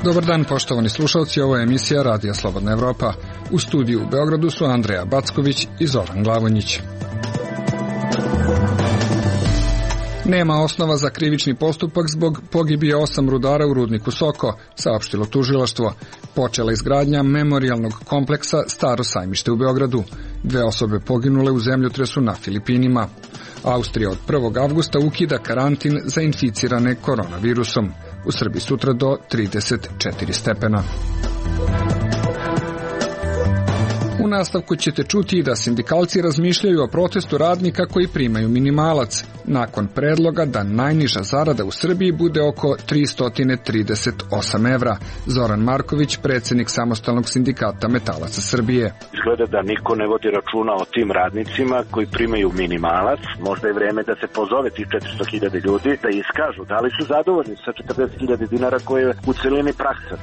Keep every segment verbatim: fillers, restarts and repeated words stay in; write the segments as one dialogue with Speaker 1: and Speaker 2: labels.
Speaker 1: Dobar dan, poštovani slušalci, ovo je emisija Radija Slobodna Evropa. U studiju u Beogradu su Andreja Backović i Zoran Glavonjić. Nema osnova za krivični postupak zbog pogibije osam rudara u rudniku Soko, saopštilo tužilaštvo. Počela izgradnja memorijalnog kompleksa Staro sajmište u Beogradu. Dve osobe poginule u zemljotresu na Filipinima. Austrija od prvog avgusta ukida karantin za inficirane koronavirusom. U Srbiji sutra do trideset četiri stepena. U nastavku ćete čuti da sindikalci razmišljaju o protestu radnika koji primaju minimalac, nakon predloga da najniža zarada u Srbiji bude oko tristo trideset osam evra. Zoran Marković, predsjednik Samostalnog sindikata metalaca Srbije.
Speaker 2: Izgleda da niko ne vodi računa o tim radnicima koji primaju minimalac. Možda je vreme da se pozove tih četiristo hiljada ljudi, da iskažu da li su zadovoljni sa četrdeset hiljada dinara koje je u celini praksa.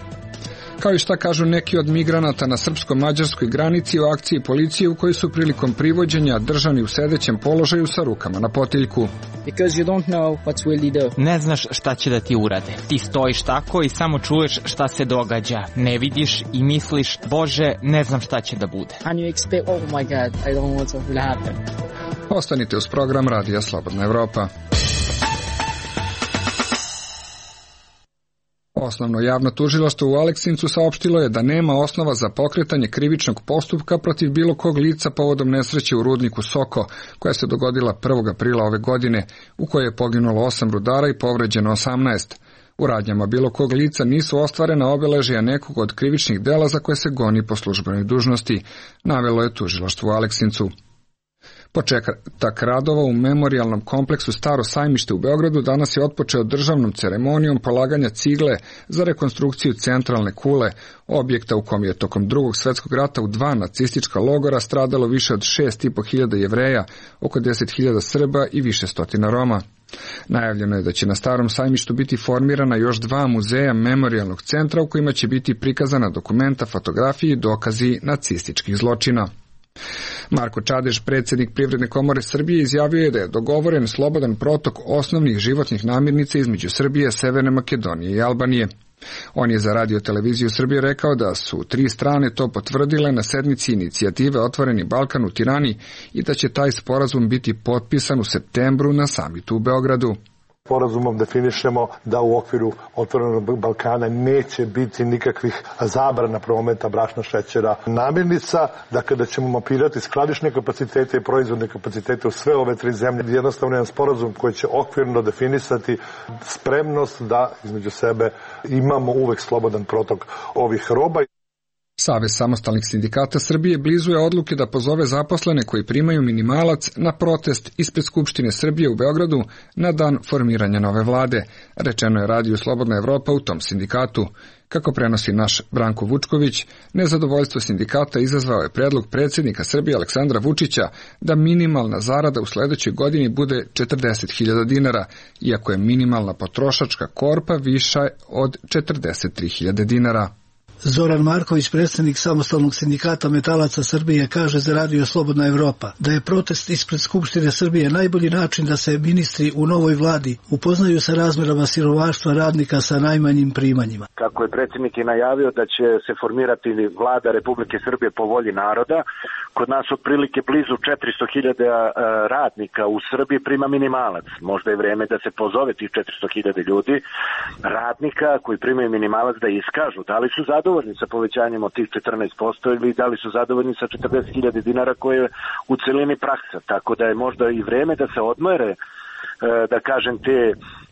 Speaker 1: Kao i šta kažu neki od migranata na srpsko-mađarskoj granici u akciji policije u kojoj su prilikom privođenja držani u sedećem položaju sa rukama na potiljku.
Speaker 3: Ne znaš šta će da ti urade. Ti stojiš tako i samo čuješ šta se događa. Ne vidiš i misliš, Bože, ne znam šta će da bude.
Speaker 1: Ostanite uz program Radija Slobodna Evropa. Osnovno javno tužilaštvo u Aleksincu saopštilo je da nema osnova za pokretanje krivičnog postupka protiv bilo kog lica povodom nesreće u rudniku Soko, koja se dogodila prvog aprila ove godine, u kojoj je poginulo osam rudara i povređeno osamnaest. U radnjama bilo kog lica nisu ostvarena obeležja nekog od krivičnih dela za koje se goni po službenoj dužnosti, navelo je tužilaštvo u Aleksincu. Početak radova u memorijalnom kompleksu Staro sajmište u Beogradu danas je otpočeo državnom ceremonijom polaganja cigle za rekonstrukciju centralne kule, objekta u kom je tokom drugog svetskog rata u dva nacistička logora stradalo više od šest i po hiljada Jevreja, oko deset hiljada Srba i više stotina Roma. Najavljeno je da će na Starom sajmištu biti formirana još dva muzeja memorijalnog centra u kojima će biti prikazana dokumenta, fotografije i dokazi nacističkih zločina. Marko Čadež, predsjednik Privredne komore Srbije, izjavio je da je dogovoren slobodan protok osnovnih životnih namirnica između Srbije, Severne Makedonije i Albanije. On je za Radio televiziju Srbije rekao da su tri strane to potvrdile na sednici inicijative Otvoreni Balkan u Tirani i da će taj sporazum biti potpisan u septembru na samitu u Beogradu.
Speaker 4: Sporazumom definišemo da u okviru Otvorenog Balkana neće biti nikakvih zabrana prometa brašna, šećera, namirnica, dakle da ćemo mapirati skladišne kapacitete i proizvodne kapacitete u sve ove tri zemlje. Jednostavno jedan sporazum koji će okvirno definisati spremnost da između sebe imamo uvek slobodan protok ovih roba.
Speaker 1: Savez samostalnih sindikata Srbije blizu je odluke da pozove zaposlene koji primaju minimalac na protest ispred Skupštine Srbije u Beogradu na dan formiranja nove vlade, rečeno je Radiju Slobodna Evropa u tom sindikatu. Kako prenosi naš Branko Vučković, nezadovoljstvo sindikata izazvao je predlog predsjednika Srbije Aleksandra Vučića da minimalna zarada u sledećoj godini bude četrdeset hiljada dinara, iako je minimalna potrošačka korpa viša od četrdeset tri hiljade dinara.
Speaker 5: Zoran Marković, predsjednik Samostalnog sindikata metalaca Srbije, kaže za Radio Slobodna Evropa da je protest ispred Skupštine Srbije najbolji način da se ministri u novoj vladi upoznaju sa razmerama siromaštva radnika sa najmanjim primanjima.
Speaker 2: Kako je predsjednik i najavio da će se formirati vlada Republike Srbije po volji naroda, kod nas otprilike blizu četiristo hiljada radnika u Srbiji prima minimalac. Možda je vreme da se pozove tih četiristo hiljada ljudi, radnika koji primaju minimalac, da iskažu da li su zadovoljni sa povećanjem od tih četrnaest posto ili da li su zadovoljni sa četrdeset hiljada dinara koje je u celini praksa. Tako da je možda i vreme da se odmere, da kažem, te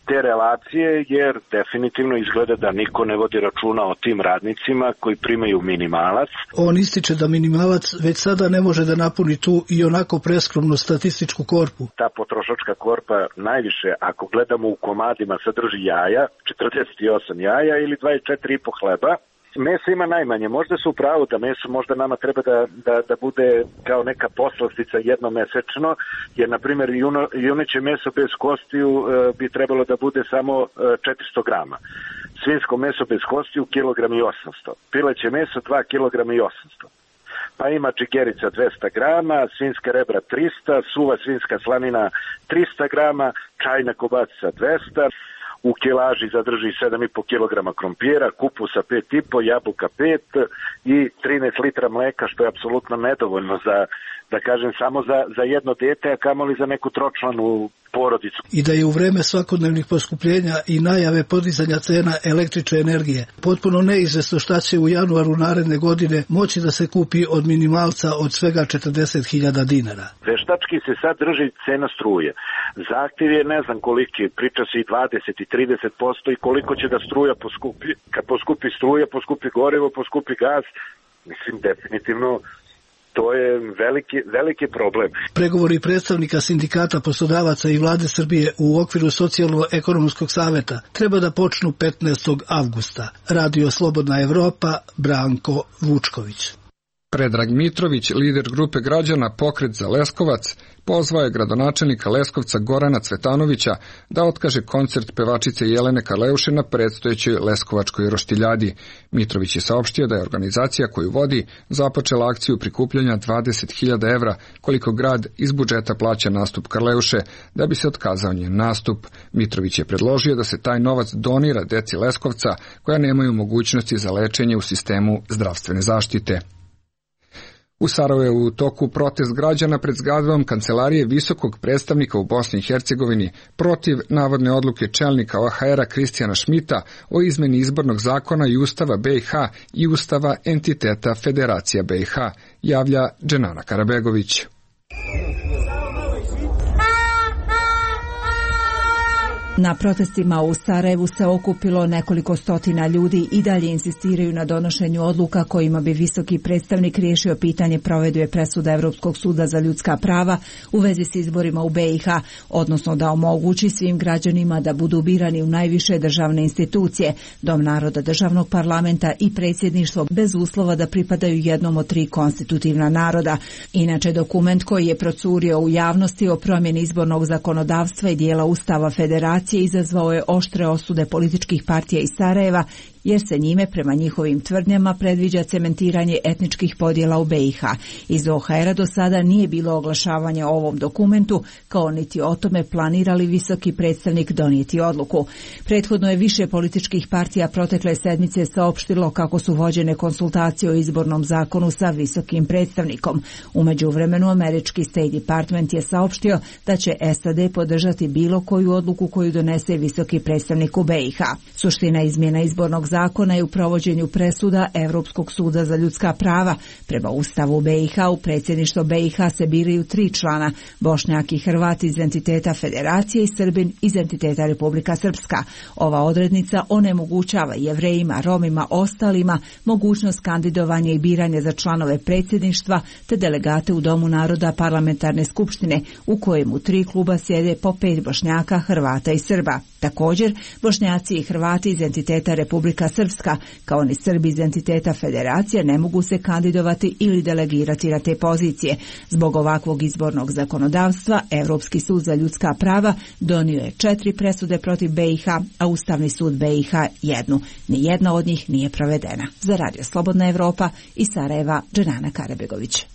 Speaker 2: te relacije, jer definitivno izgleda da niko ne vodi računa o tim radnicima koji primaju minimalac.
Speaker 5: On ističe da minimalac već sada ne može da napuni tu i onako preskromnu statističku korpu.
Speaker 2: Ta potrošačka korpa najviše, ako gledamo u komadima, sadrži jaja, četrdeset osam jaja ili dvadeset četiri i po hleba. Meso ima najmanje, možda su u pravu da meso možda nama treba da, da, da bude kao neka poslastica jednomesečno, jer na primjer juno, juneće meso bez kostiju e, bi trebalo da bude samo e, četiristo grama. svinjsko meso bez kostiju kilogram i osamsto, pileće meso dva kilograma i osamsto. Pa ima čigerica dvesta grama, svinjska rebra trista, suva svinjska slanina trista grama, čajna kobasica dvesta, u kilaži zadrži sedam i po kilograma krompira, kupusa pet i po, jabuka pet i trinaest litra mleka, što je apsolutno nedovoljno za, da kažem, samo za, za jedno dete, a kamoli za neku tročlanu porodicu.
Speaker 5: I da je u vreme svakodnevnih poskupljenja i najave podizanja cena električne energije potpuno neizvesno šta će u januaru naredne godine moći da se kupi od minimalca od svega četrdeset hiljada dinara.
Speaker 2: Veštački se sad drži cena struje. Zahtjev je ne znam koliki, priča se i dvadeset i trideset posto i koliko će da struja poskupi. Kad poskupi struja, poskupi gorivo, poskupi gaz, mislim definitivno to je veliki, veliki problem.
Speaker 5: Pregovori predstavnika sindikata, poslodavaca i vlade Srbije u okviru socijalno-ekonomskog saveta treba da počnu petnaestog avgusta. Radio Slobodna Evropa, Branko Vučković.
Speaker 1: Predrag Mitrović, lider grupe građana Pokret za Leskovac, pozvao je gradonačelnika Leskovca Gorana Cvetanovića da otkaže koncert pevačice Jelene Karleuše na predstojećoj Leskovačkoj roštiljadi. Mitrović je saopštio da je organizacija koju vodi započela akciju prikupljanja dvadeset hiljada evra, koliko grad iz budžeta plaća nastup Karleuše, da bi se otkazao njen nastup. Mitrović je predložio da se taj novac donira deci Leskovca koja nemaju mogućnosti za lečenje u sistemu zdravstvene zaštite. U Sarajevu je u toku protest građana pred zgradom Kancelarije visokog predstavnika u Bosni i Hercegovini protiv navodne odluke čelnika O H R-a Kristijana Šmita o izmeni izbornog zakona i Ustava B i H i Ustava entiteta Federacija B i H, javlja Dženana Karabegović.
Speaker 6: Na protestima u Sarajevu se okupilo nekoliko stotina ljudi i dalje insistiraju na donošenju odluka kojima bi visoki predstavnik riješio pitanje provedbe presuda Evropskog suda za ljudska prava u vezi s izborima u B i H, odnosno da omogući svim građanima da budu birani u najviše državne institucije, Dom naroda, državnog parlamenta i predsjedništvo bez uslova da pripadaju jednom od tri konstitutivna naroda. Inače, dokument koji je procurio u javnosti o promjeni izbornog zakonodavstva i dijela Ustava Federacije izazvao je oštre osude političkih partija iz Sarajeva, jer se njime prema njihovim tvrdnjama predviđa cementiranje etničkih podjela u B i H. Iz O H R-a do sada nije bilo oglašavanja o ovom dokumentu, kao niti o tome planira li visoki predstavnik donijeti odluku. Prethodno je više političkih partija protekle sedmice saopštilo kako su vođene konsultacije o izbornom zakonu sa visokim predstavnikom. U međuvremenu američki State Department je saopštio da će S A D podržati bilo koju odluku koju donese visoki predstavnik u B i H. Suština izmjena izbornog zakona je u provođenju presuda Evropskog suda za ljudska prava. Prema Ustavu B i H u predsjedništvo B i H se biraju tri člana, Bošnjak i Hrvat iz entiteta Federacije i Srbin iz entiteta Republika Srpska. Ova odrednica onemogućava Jevrejima, Romima, ostalima mogućnost kandidovanja i biranja za članove predsjedništva te delegate u Domu naroda parlamentarne skupštine u kojemu tri kluba sjede po pet Bošnjaka, Hrvata i Srba. Također, Bošnjaci i Hrvati iz entiteta Republika Srpska, kao ni Srbi iz entiteta Federacije, ne mogu se kandidovati ili delegirati na te pozicije. Zbog ovakvog izbornog zakonodavstva, Evropski sud za ljudska prava donio je četiri presude protiv B i H, a Ustavni sud B i H jednu. Nijedna od njih nije provedena. Za Radio Slobodna Evropa iz Sarajeva, Dženana Karabegović.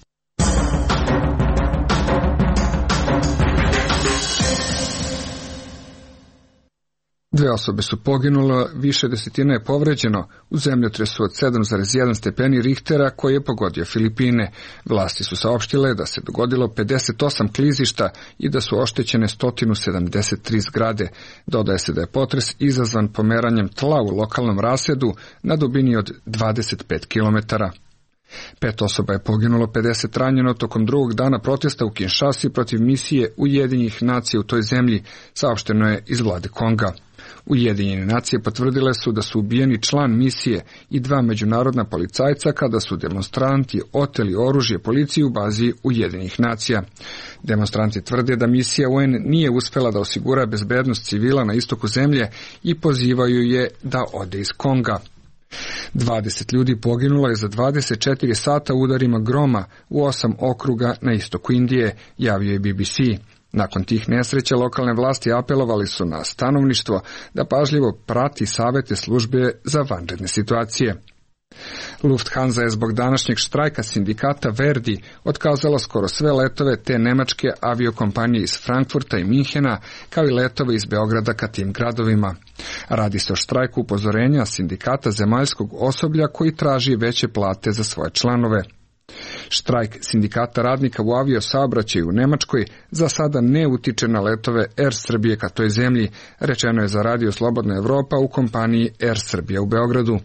Speaker 1: Dve osobe su poginule, više desetina je povređeno u zemljotresu od sedam zarez jedan stepeni Richtera koji je pogodio Filipine. Vlasti su saopštile da se dogodilo pedeset osam klizišta i da su oštećene sto sedamdeset tri zgrade. Dodaje se da je potres izazvan pomeranjem tla u lokalnom rasedu na dubini od dvadeset pet kilometara. Pet osoba je poginulo, pedeset ranjeno tokom drugog dana protesta u Kinshasi protiv misije Ujedinjenih nacija u toj zemlji, saopšteno je iz vlade Konga. Ujedinjene nacije potvrdile su da su ubijeni član misije i dva međunarodna policajca kada su demonstranti oteli oružje policiji u bazi Ujedinjenih nacija. Demonstranti tvrde da misija U N nije uspela da osigura bezbednost civila na istoku zemlje i pozivaju je da ode iz Konga. dvadeset ljudi poginulo je za dvadeset četiri sata udarima groma u osam okruga na istoku Indije, javio je B B C. Nakon tih nesreća lokalne vlasti apelovali su na stanovništvo da pažljivo prati savete službe za vanredne situacije. Lufthansa je zbog današnjeg štrajka sindikata Verdi otkazala skoro sve letove te nemačke aviokompanije iz Frankfurta i Minhena, kao i letove iz Beograda ka tim gradovima. Radi se o štrajku upozorenja sindikata zemaljskog osoblja koji traži veće plate za svoje članove. Štrajk sindikata radnika u aviosaobraćaju u Nemačkoj za sada ne utiče na letove Air Srbije ka toj zemlji, rečeno je za Radio Slobodna Evropa u kompaniji Air Srbija u Beogradu.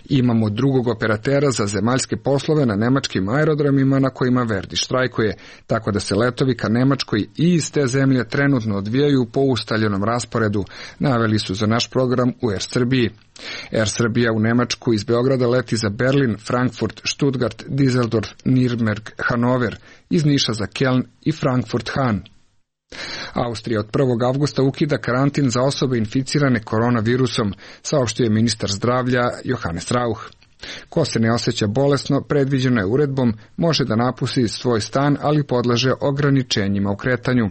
Speaker 1: Imamo drugog operatera za zemaljske poslove na nemačkim aerodromima na kojima Verdi štrajkuje, tako da se letovi ka Nemačkoj i iz te zemlje trenutno odvijaju po ustaljenom rasporedu, naveli su za naš program u Air Srbiji. Air Srbija u Nemačku iz Beograda leti za Berlin, Frankfurt, Stuttgart, Düsseldorf, Nürnberg, Hanover, iz Niša za Keln i Frankfurt-Hahn. Austrija od prvog avgusta ukida karantin za osobe inficirane koronavirusom, saopštio je ministar zdravlja Johannes Rauch. Ko se ne osjeća bolesno, predviđeno je uredbom, može da napusti svoj stan, ali podleže ograničenjima u kretanju.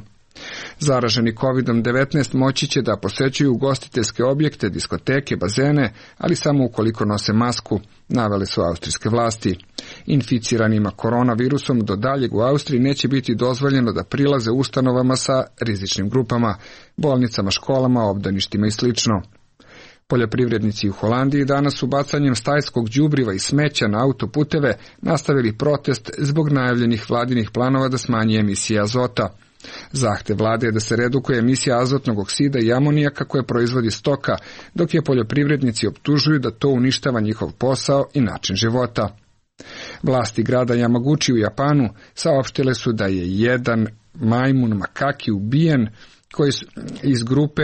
Speaker 1: Zaraženi kovidom devetnaest moći će da posećuju ugostiteljske objekte, diskoteke, bazene, ali samo ukoliko nose masku, navele su austrijske vlasti. Inficiranima koronavirusom do daljeg u Austriji neće biti dozvoljeno da prilaze ustanovama sa rizičnim grupama, bolnicama, školama, obdaništima i sl. Poljoprivrednici u Holandiji danas su bacanjem stajskog đubriva i smeća na autoputeve nastavili protest zbog najavljenih vladinih planova da smanji emisije azota. Zahtev vlade je da se redukuje emisija azotnog oksida i amonijaka koje proizvodi stoka, dok je poljoprivrednici optužuju da to uništava njihov posao i način života. Vlasti grada Yamaguchi u Japanu saopštile su da je jedan majmun makaki ubijen koji su iz grupe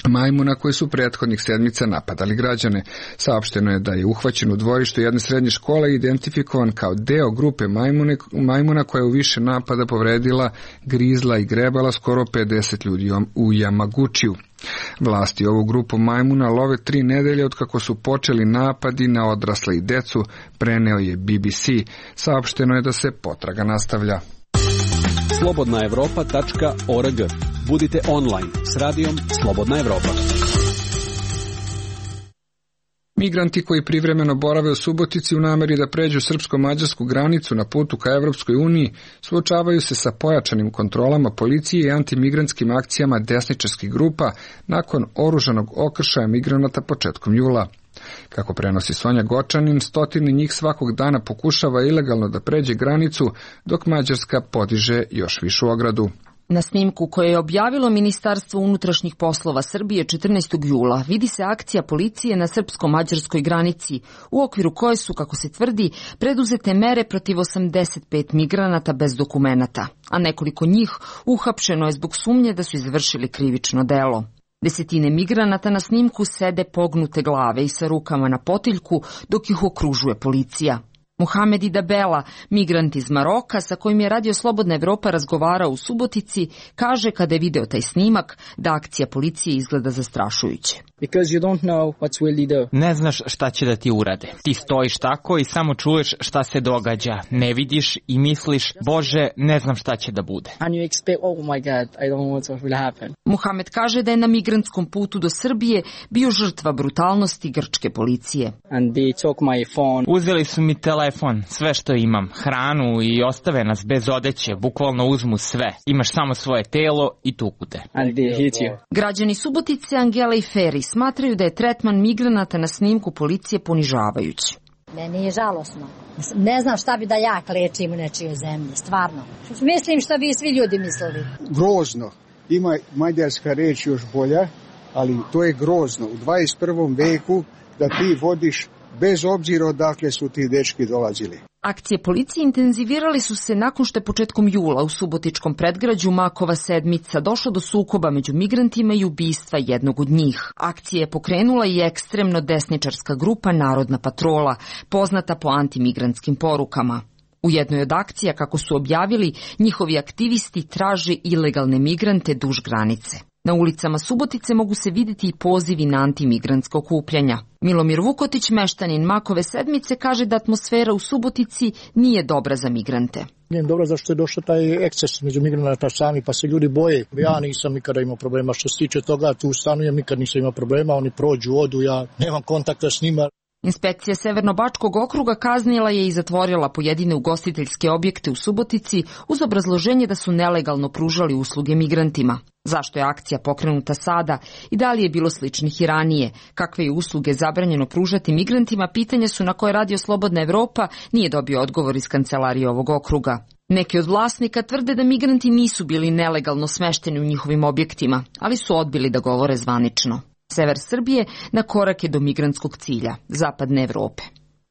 Speaker 1: majmuna koji su prethodnih sedmica napadali građane. Saopšteno je da je uhvaćen u dvorištu jedne srednje škole i identifikovan kao deo grupe majmune, majmuna koja je u više napada povredila, grizla i grebala skoro pedeset ljudi u Yamaguchiju. Vlasti ovu grupu majmuna love tri nedelje od kako su počeli napadi na odrasle i decu, preneo je B B C. Saopšteno je da se potraga nastavlja.
Speaker 7: slobodna evropa tačka org. Budite online s radijom Slobodna Evropa.
Speaker 1: Migranti koji privremeno borave u Subotici u nameri da pređu srpsko-mađarsku granicu na putu ka Evropskoj uniji suočavaju se sa pojačanim kontrolama policije i antimigrantskim akcijama desničarskih grupa nakon oružanog okršaja migranata početkom jula. Kako prenosi Sonja Gočanin, stotine njih svakog dana pokušava ilegalno da pređe granicu, dok Mađarska podiže još višu ogradu.
Speaker 8: Na snimku koje je objavilo Ministarstvo unutrašnjih poslova Srbije četrnaestog jula vidi se akcija policije na srpsko-mađarskoj granici, u okviru koje su, kako se tvrdi, preduzete mere protiv osamdeset pet migranata bez dokumenata, a nekoliko njih uhapšeno je zbog sumnje da su izvršili krivično delo. Desetine migranata na snimku sede pognute glave i sa rukama na potiljku dok ih okružuje policija. Mohamed Idabela, migrant iz Maroka sa kojim je Radio Slobodna Evropa razgovarao u Subotici, kaže kada je video taj snimak da akcija policije izgleda zastrašujuće.
Speaker 9: Because you don't know what's really do.
Speaker 3: Ne znaš šta će da ti urade. Ti stojiš tako i samo čuješ šta se događa. Ne vidiš i misliš, Bože, ne znam šta će da bude.
Speaker 9: And you expect, oh my God, I don't know what will happen.
Speaker 8: Mohamed kaže da je na migrantskom putu do Srbije bio žrtva brutalnosti grčke policije.
Speaker 9: And they took my phone.
Speaker 3: Uzeli su mi telefon, sve što imam, hranu i ostave nas bez odeće, bukvalno uzmu sve. Imaš samo svoje telo i tuku te.
Speaker 9: And they hit you.
Speaker 8: Građani Subotice, Angela i Feri smatraju da je tretman migranata na snimku policije ponižavajući.
Speaker 10: Meni je žalosno. Ne znam šta bi da ja klečim u nečijoj zemlji, stvarno. Mislim šta bi svi ljudi mislili.
Speaker 11: Grozno. Ima mađarska reč još bolja, ali to je grozno. U dvadeset prvom veku da ti vodiš bez obzira odakle su ti dečki dolazili.
Speaker 8: Akcije policije intenzivirali su se nakon što je početkom jula u subotičkom predgrađu Makova sedmica došlo do sukoba među migrantima i ubistva jednog od njih. Akcije je pokrenula i ekstremno desničarska grupa Narodna patrola, poznata po antimigrantskim porukama. U jednoj od akcija, kako su objavili, njihovi aktivisti traže ilegalne migrante duž granice. Na ulicama Subotice mogu se vidjeti i pozivi na antimigrantska okupljanja. Milomir Vukotić, meštanin Makove Sedmice, kaže da atmosfera u Subotici nije dobra za migrante.
Speaker 12: Nije dobro zašto je došao taj eksces među migranata sami, pa se ljudi boje. Ja nisam nikada imao problema. Što se tiče toga, tu stanujem, nikad nisam imao problema. Oni prođu, odu, ja nemam kontakta s njima.
Speaker 8: Inspekcija Severno-Bačkog okruga kaznila je i zatvorila pojedine ugostiteljske objekte u Subotici uz obrazloženje da su nelegalno pružali usluge migrantima. Zašto je akcija pokrenuta sada i da li je bilo sličnih i ranije? Kakve je usluge zabranjeno pružati migrantima? Pitanja su na koje Radio Slobodna Evropa nije dobio odgovor iz kancelarije ovog okruga. Neki od vlasnika tvrde da migranti nisu bili nelegalno smešteni u njihovim objektima, ali su odbili da govore zvanično. Sever Srbije na korak je do migrantskog cilja, zapadne Evrope.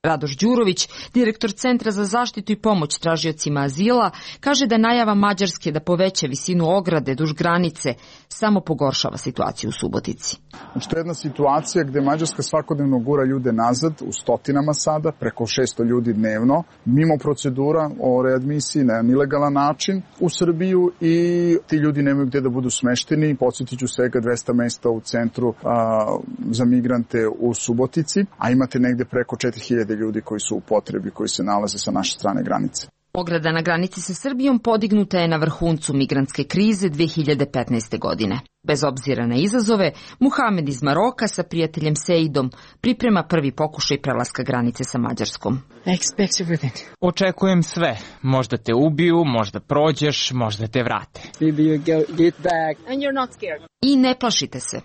Speaker 8: Radoš Đurović, direktor Centra za zaštitu i pomoć tražiocima azila, kaže da najava Mađarske da poveća visinu ograde duž granice samo pogoršava situaciju u Subotici.
Speaker 13: Znači, to je jedna situacija gde Mađarska svakodnevno gura ljude nazad, u stotinama sada, preko šesto ljudi dnevno, mimo procedura o readmisiji na ilegalan način u Srbiju i ti ljudi nemaju gde da budu smešteni. Podsjetit ću svega dvesta mesta u centru a, za migrante u Subotici, a imate negde preko četiri hiljade ljudi koji su u potrebi, koji se nalaze sa naše strane granice.
Speaker 8: Ograda na granici sa Srbijom podignuta je na vrhuncu migrantske krize dve hiljade petnaeste. godine. Bez obzira na izazove, Muhamed iz Maroka sa prijateljem Seidom priprema prvi pokušaj prelaska granice sa Mađarskom.
Speaker 3: Očekujem sve. Možda te ubiju, možda prođeš, možda te vrate.
Speaker 8: I ne plašite se.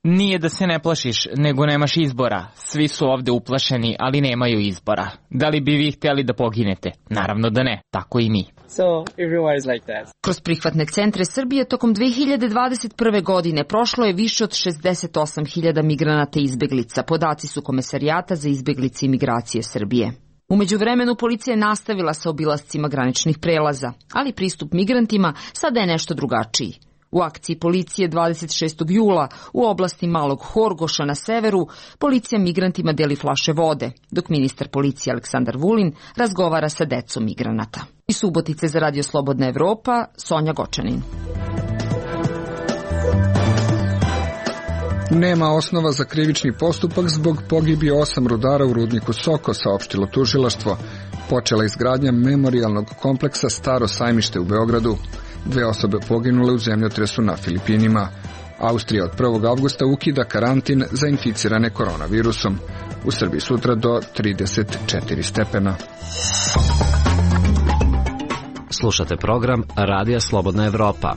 Speaker 3: Nije da se ne plašiš, nego nemaš izbora. Svi su ovde uplašeni, ali nemaju izbora. Da li bi vi htjeli da poginete? Naravno da ne, tako i mi.
Speaker 9: So everyone is like that.
Speaker 8: Kroz prihvatne centre Srbije tokom dve hiljade dvadeset prve. godine prošlo je više od šezdeset osam hiljada migranata i izbeglica. Podaci su Komesarijata za izbeglice i migracije Srbije. U međuvremenu policija je nastavila sa obilascima graničnih prelaza, ali pristup migrantima sada je nešto drugačiji. U akciji policije dvadeset šestog jula u oblasti Malog Horgoša na severu, policija migrantima deli flaše vode, dok ministar policije Aleksandar Vulin razgovara sa decom migranata. Iz Subotice za Radio Slobodna Evropa, Sonja Gočanin.
Speaker 1: Nema osnova za krivični postupak zbog pogibije osam rudara u rudniku Soko, saopštilo tužilaštvo. Počela izgradnja memorijalnog kompleksa Staro sajmište u Beogradu. Dve osobe poginule u zemljotresu na Filipinima. Austrija od prvog avgusta ukida karantin za inficirane koronavirusom. U Srbiji sutra do trideset četiri stepena.
Speaker 14: Slušate program Radija Slobodna Evropa.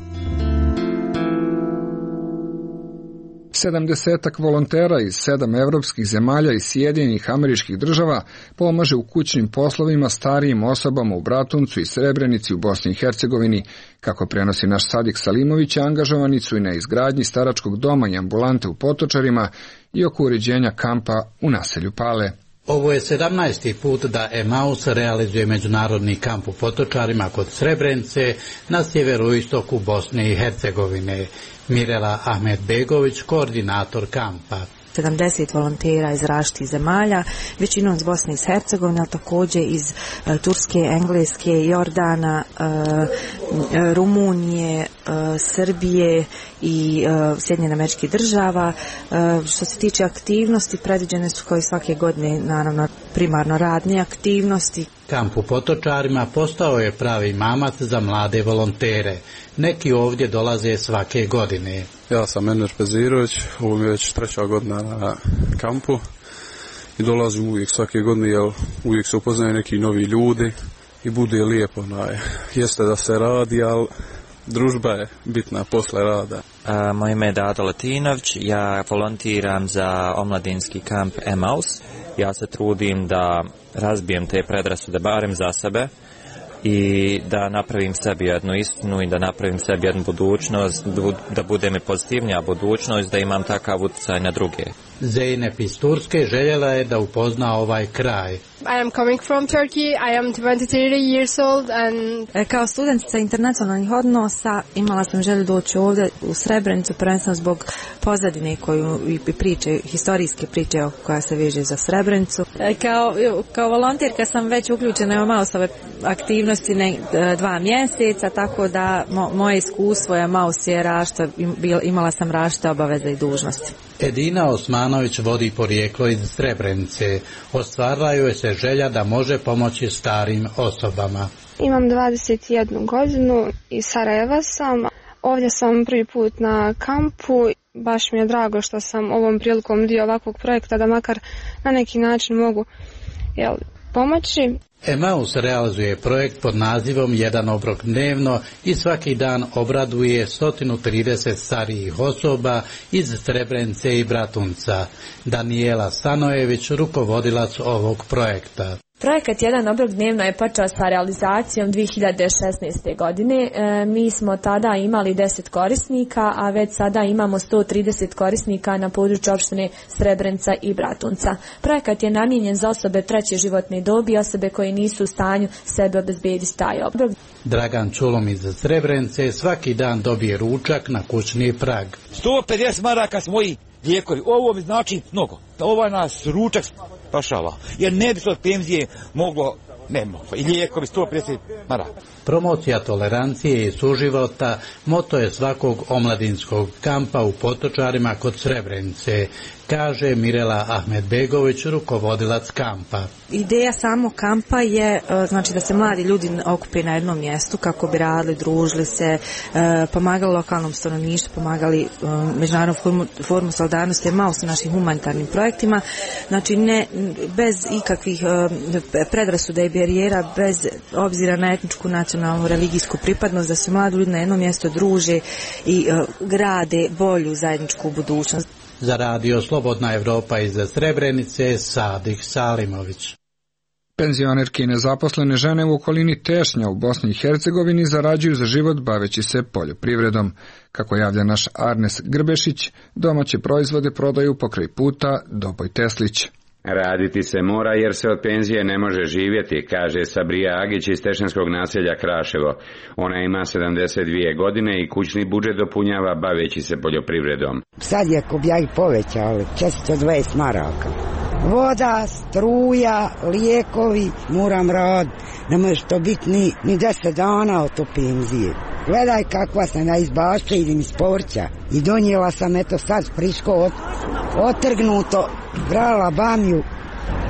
Speaker 1: Sedamdesetak volontera iz sedam evropskih zemalja i Sjedinjenih Američkih Država pomaže u kućnim poslovima starijim osobama u Bratuncu i Srebrenici u Bosni i Hercegovini. Kako prenosi naš Sadik Salimović, angažovani su i na izgradnji staračkog doma i ambulante u Potočarima i oko uređenja kampa u naselju Pale.
Speaker 15: Ovo je sedamnaesti put da Emaus realizuje međunarodni kamp u Potočarima kod Srebrenice na sjeveroistoku Bosne i Hercegovine. Mirela Ahmedbegović, koordinator kampa.
Speaker 16: sedamdeset volontera iz različitih zemalja, većinom iz Bosne i Hercegovine, ali također iz uh, Turske, Engleske, Jordana, uh, Rumunije, uh, Srbije i uh, Sjedinjenih Američkih Država. Uh, što se tiče aktivnosti, predviđene su kao i svake godine, naravno, primarno radne aktivnosti.
Speaker 15: Kamp u Potočarima postao je pravi mamac za mlade volontere. Neki ovdje dolaze svake godine.
Speaker 17: Ja sam Ener Pezirović, ovo mi je već treća godina na kampu i dolazim uvijek svake godine, jer uvijek se upoznaju neki novi ljudi i bude lijepo. Naj. Jeste da se radi, ali družba je bitna posle rada.
Speaker 18: A, moje ime je Dado Latinović, ja volontiram za omladinski kamp Emaus. Ja se trudim da razbijem te predrasude barem za sebe i da napravim sebi jednu istinu i da napravim sebi jednu budućnost, da bude mi pozitivnija budućnost, da imam takav utjecaj na druge.
Speaker 15: Zeynep iz Turske željela je da upozna ovaj kraj.
Speaker 19: I am coming from Turkey. I am twenty-three years old and
Speaker 16: kao studentica internacionalnih odnosa imala sam želju doći ovdje u Srebrenicu, prvenstveno zbog pozadine koju i priče, historijske priče koja se veže za Srebrenicu. Kao, kao volonterka sam već uključena u Mausove aktivnosti ne, dva mjeseca, tako da mo, moje iskustvo je Maus je rašta, imala sam rašte obaveze i dužnosti.
Speaker 15: Edina Osmanović vodi porijeklo iz Srebrenice. Ostvarila joj se želja da može pomoći starim osobama.
Speaker 19: Imam dvadeset jednu godinu, iz Sarajeva sam. Ovdje sam prvi put na kampu. Baš mi je drago što sam ovom prilikom dio ovakvog projekta da makar na neki način mogu jel, pomoći.
Speaker 15: Emaus realizuje projekt pod nazivom Jedan obrok dnevno i svaki dan obraduje sto trideset starijih osoba iz Srebrenice i Bratunca. Daniela Stanojević, rukovodilac ovog projekta.
Speaker 20: Projekat Jedan obrok dnevno je počeo sa realizacijom dvije hiljade šesnaeste. godine. E, mi smo tada imali deset korisnika, a već sada imamo sto trideset korisnika na području opštine Srebrenica i Bratunca. Projekat je namijenjen za osobe treće životne dobi, osobe koje nisu u stanju sebe obezbediti taj obrok.
Speaker 15: Dragan Čulom iz Srebrenice svaki dan dobije ručak na kućni prag.
Speaker 21: sto pedeset maraka s moji lijekovi. Ovo mi znači mnogo. Ovaj nas ručak spašava. Jer ne bi se od penzije moglo, ne moglo. I lijekovi sto pedeset maraka.
Speaker 15: Promocija tolerancije i suživota moto je svakog omladinskog kampa u Potočarima kod Srebrenice, kaže Mirela Ahmedbegović, rukovodilac kampa.
Speaker 16: Ideja samog kampa je znači da se mladi ljudi okupe na jednom mjestu kako bi radili, družili se, pomagali lokalnom stanovništvu, pomagali međunarodnu formu, formu solidarnosti, malo su našim humanitarnim projektima, znači ne bez ikakvih predrasuda i barijera, bez obzira na etničku, nacionalnu, religijsku pripadnost, da se mladi ljudi na jednom mjestu druže i grade bolju zajedničku budućnost.
Speaker 15: Za radio Slobodna Evropa iz Srebrenice, Sadik Salimović.
Speaker 1: Penzionerke i nezaposlene žene u okolini Tešnja u Bosni i Hercegovini zarađuju za život baveći se poljoprivredom. Kako javlja naš Arnes Grbešić, domaće proizvode prodaju pokraj puta Doboj Teslić.
Speaker 22: Raditi se mora jer se od penzije ne može živjeti, kaže Sabrija Agić iz Tešanskog naselja Kraševo. Ona ima sedamdeset dvije godine i kućni budžet dopunjava baveći se poljoprivredom.
Speaker 23: Sad je kobjaj povećali, četiristo dvadeset maraka. Voda, struja, lijekovi, moram raditi. Ne može to biti ni, ni deset dana od to penzije. Gledaj kakva sam ja iz bašća, idem iz povrća. I donijela sam eto sad friško od, otrgnuto, brala bamju,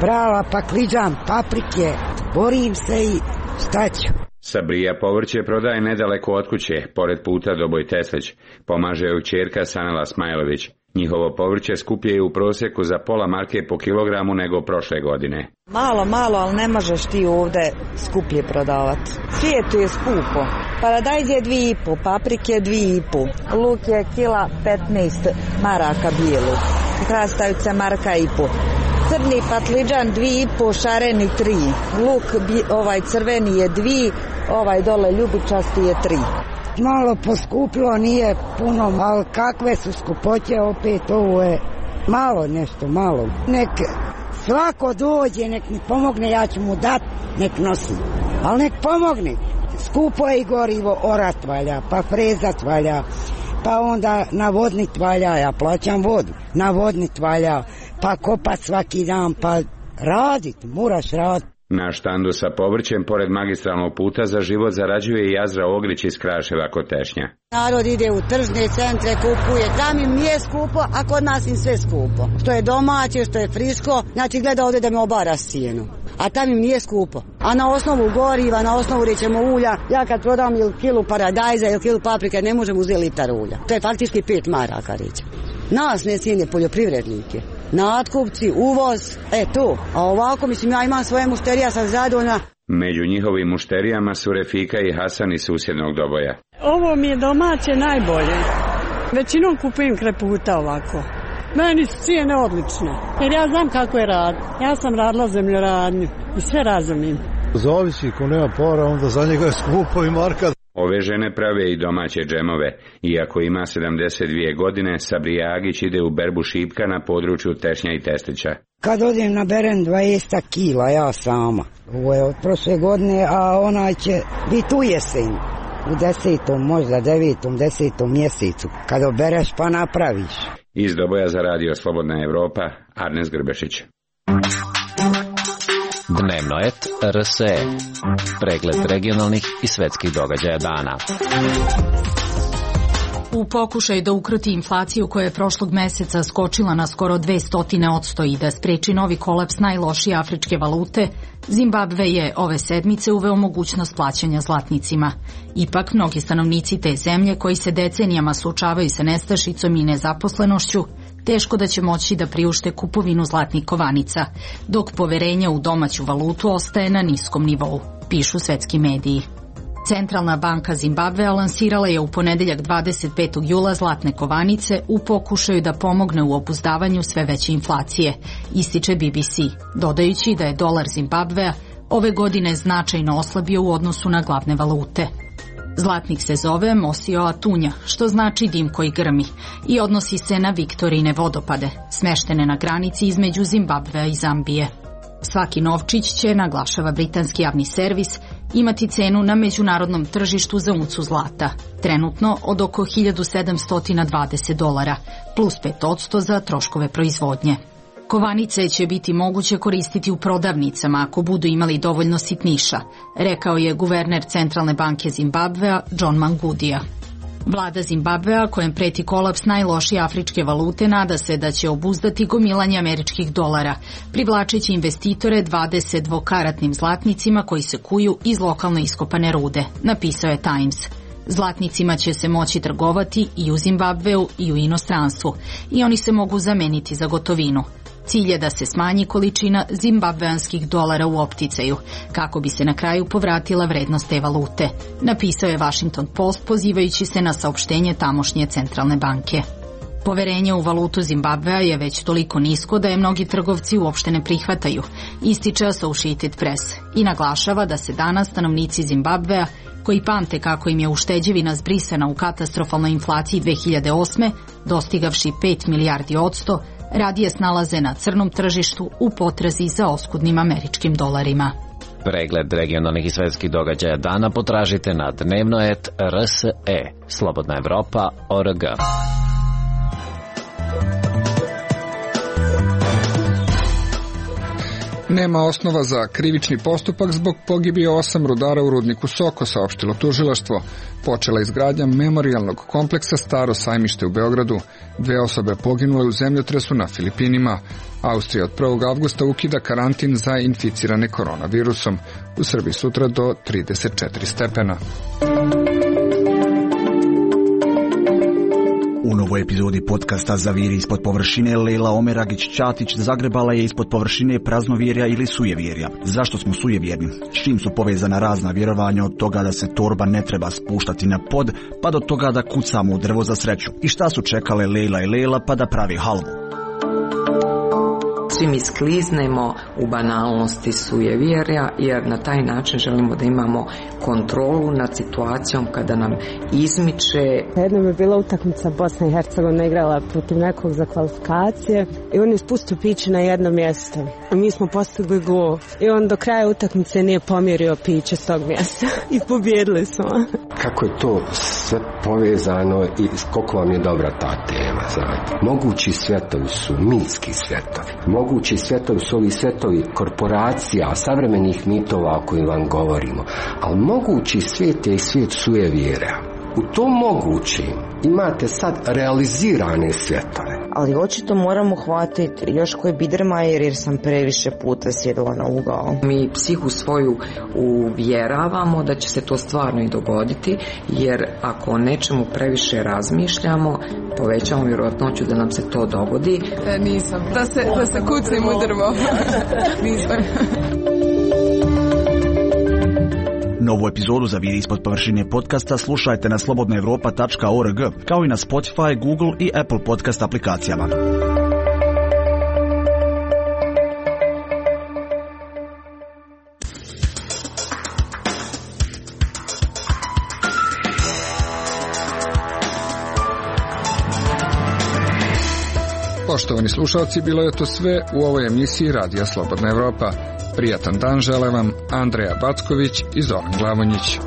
Speaker 23: brala pakliđan, paprike, borim se i šta ću.
Speaker 22: Sabrija povrće prodaje nedaleko od kuće, pored puta Doboj Teslić. Pomaže joj kćerka Sanela Smajlović. Njihovo povrće skuplje je u prosjeku za pola marke po kilogramu nego prošle godine.
Speaker 24: Malo, malo, ali ne možeš ti ovdje skuplje prodavati. Svijetu je skupo. Paradajz je dvije i po, paprike dvije i po, luk je kila petnaest maraka bijelu, krastavica marka i po. Crni patliđan dvije i po, šareni tri. Luk ovaj crveni je dvije, ovaj dole ljubičasti je tri.
Speaker 23: Malo poskupilo, nije puno, ali kakve su skupoće opet, ovo je malo nešto, malo. Nek svako dođe, nek mi pomogne, ja ću mu dat, nek nosi. Ali nek pomogne. Skupo je i gorivo, orat valja, pa frezat valja, pa onda navodnit valja, ja plaćam vodu, navodnit valja, pa kopat svaki dan, pa radit, moraš radit.
Speaker 22: Na štandu sa povrćem, pored magistralnog puta za život, zarađuje i Jazra Ogrić iz Kraševa kod Tešnja.
Speaker 24: Narod ide u tržne centre, kupuje, tam im nije skupo, a kod nas im sve skupo. Što je domaće, što je friško, znači gleda ovdje da me obara cijenu. A tam im nije skupo. A na osnovu goriva, na osnovu rećemo ulja, ja kad prodam ili kilu paradajza ili kilu paprike, ne možem uzeti litar ulja. To je faktički pet maraka reći. Nas ne cijene poljoprivrednike. Natkupci, uvoz, e to. A ovako, mislim, ja imam svoje mušterija, sam zadovoljna.
Speaker 22: Među njihovim mušterijama su Refika i Hasan iz susjednog Doboja.
Speaker 25: Ovo mi je domaće najbolje. Većinom kupujem kraj puta ovako. Meni su cijene odlične, jer ja znam kako je rad. Ja sam radila zemljoradnju i sve razumijem.
Speaker 26: Zavisi, ko nema para, onda za njega je skupo i marka.
Speaker 22: Ove žene prave i domaće džemove. Iako ima sedamdeset dvije godine, Sabrija Agić ide u berbu šipka na području Tešnja i Testića.
Speaker 23: Kad odem naberem dvadeset kila, ja sama. Ovo je od prošle godine, a ona će biti u jesen. U desetom, možda devetom, desetom mjesecu. Kad obereš pa napraviš.
Speaker 22: Iz Doboja za radio Slobodna Evropa, Arnes Grbešić.
Speaker 14: Dnevno et R S E. Pregled regionalnih i svetskih događaja dana.
Speaker 2: U pokušaju da ukroti inflaciju koja je prošlog meseca skočila na skoro dvesta posto i da spreči novi kolaps najlošije afričke valute, Zimbabve je ove sedmice uveo mogućnost plaćanja zlatnicima. Ipak, mnogi stanovnici te zemlje koji se decenijama suočavaju sa nestašicom i nezaposlenošću, teško da će moći da priušte kupovinu zlatnih kovanica, dok poverenje u domaću valutu ostaje na niskom nivou, pišu svetski mediji. Centralna banka Zimbabvea lansirala je u ponedeljak dvadeset petog jula zlatne kovanice u pokušaju da pomogne u obuzdavanju sve veće inflacije, ističe B B C, dodajući da je dolar Zimbabvea ove godine značajno oslabio u odnosu na glavne valute. Zlatnik se zove Mosio Atunja, što znači dim koji grmi, i odnosi se na Viktorine vodopade, smeštene na granici između Zimbabvea i Zambije. Svaki novčić će, naglašava britanski javni servis, imati cenu na međunarodnom tržištu za uncu zlata, trenutno od oko hiljadu sedamsto dvadeset dolara, plus pet posto za troškove proizvodnje. Kovanice će biti moguće koristiti u prodavnicama ako budu imali dovoljno sitniša, rekao je guverner Centralne banke Zimbabvea John Mangudija. Vlada Zimbabvea, kojem preti kolaps najlošije afričke valute, nada se da će obuzdati gomilanje američkih dolara, privlačeći investitore dvadeset dvokaratnim zlatnicima koji se kuju iz lokalno iskopane rude, napisao je Times. Zlatnicima će se moći trgovati i u Zimbabveu i u inostranstvu i oni se mogu zameniti za gotovinu. Cilj je da se smanji količina zimbabveanskih dolara u opticaju, kako bi se na kraju povratila vrednost te valute, napisao je Washington Post pozivajući se na saopštenje tamošnje centralne banke. Poverenje u valutu Zimbabvea je već toliko nisko da je mnogi trgovci uopšte ne prihvataju, ističe Associated Press, i naglašava da se danas stanovnici Zimbabvea, koji pamte kako im je ušteđevina zbrisana u katastrofalnoj inflaciji dve hiljade osme, dostigavši pet milijardi odsto, radije snalaze na crnom tržištu u potrazi za oskudnim američkim dolarima.
Speaker 14: Pregled regionalnih i svetskih događaja dana potražite na dnevno et R S E, Slobodna Evropa, O R G.
Speaker 1: Nema osnova za krivični postupak zbog pogibije osam rudara u rudniku Soko, saopštilo tužilaštvo. Počela izgradnja memorijalnog kompleksa Staro sajmište u Beogradu. Dve osobe poginule u zemljotresu na Filipinima. Austrija od prvog avgusta ukida karantin za inficirane koronavirusom. U Srbiji sutra do trideset četiri stepena.
Speaker 4: U novoj epizodi podcasta Zaviri ispod površine Lejla Omeragić-Ćatić zagrebala je ispod površine praznovjerja ili sujevjerja. Zašto smo sujevjerni? S čim su povezana razna vjerovanja, od toga da se torba ne treba spuštati na pod, pa do toga da kucamo u drvo za sreću? I šta su čekale Lejla i Lejla pa da pravi halvu?
Speaker 5: Svi mi skliznemo u banalnosti sujevjerja, jer na taj način želimo da imamo kontrolu nad situacijom kada nam izmiče.
Speaker 6: Jednom je bila utakmica Bosna i Hercegovina igrala protiv nekog za kvalifikacije i on je spustio piće na jedno mjesto. I mi smo postigli gol i on do kraja utakmice nije pomjerio piće s tog mjesta i pobjedili smo.
Speaker 7: Kako je to sve povezano i koliko vam je dobra ta tema, znate. Mogući svjetovi su mitski svjetovi. Mogući svjetovi su ovi svjetovi korporacija, savremenih mitova o kojim vam govorimo. Ali mogući svijet je i svijet sujevjera. U tom mogućim imate sad realizirane svjetove.
Speaker 26: Ali očito moramo hvatiti još koji Biedermeier jer sam previše puta sjedila na ugao.
Speaker 5: Mi psihu svoju uvjeravamo da će se to stvarno i dogoditi, jer ako o nečemu previše razmišljamo, povećamo vjerojatnoću da nam se to dogodi.
Speaker 27: E, nisam. Da se, da se kucim u drvo. Nisam.
Speaker 4: Novu epizodu Zaviri ispod površine podcasta slušajte na slobodna evropa tačka org, kao i na Spotify, Google i Apple podcast aplikacijama.
Speaker 1: Poštovani slušalci, bilo je to sve u ovoj emisiji Radija Slobodna Evropa. Prijatan dan žele vam Andreja Backović i Zoran Glavonjić.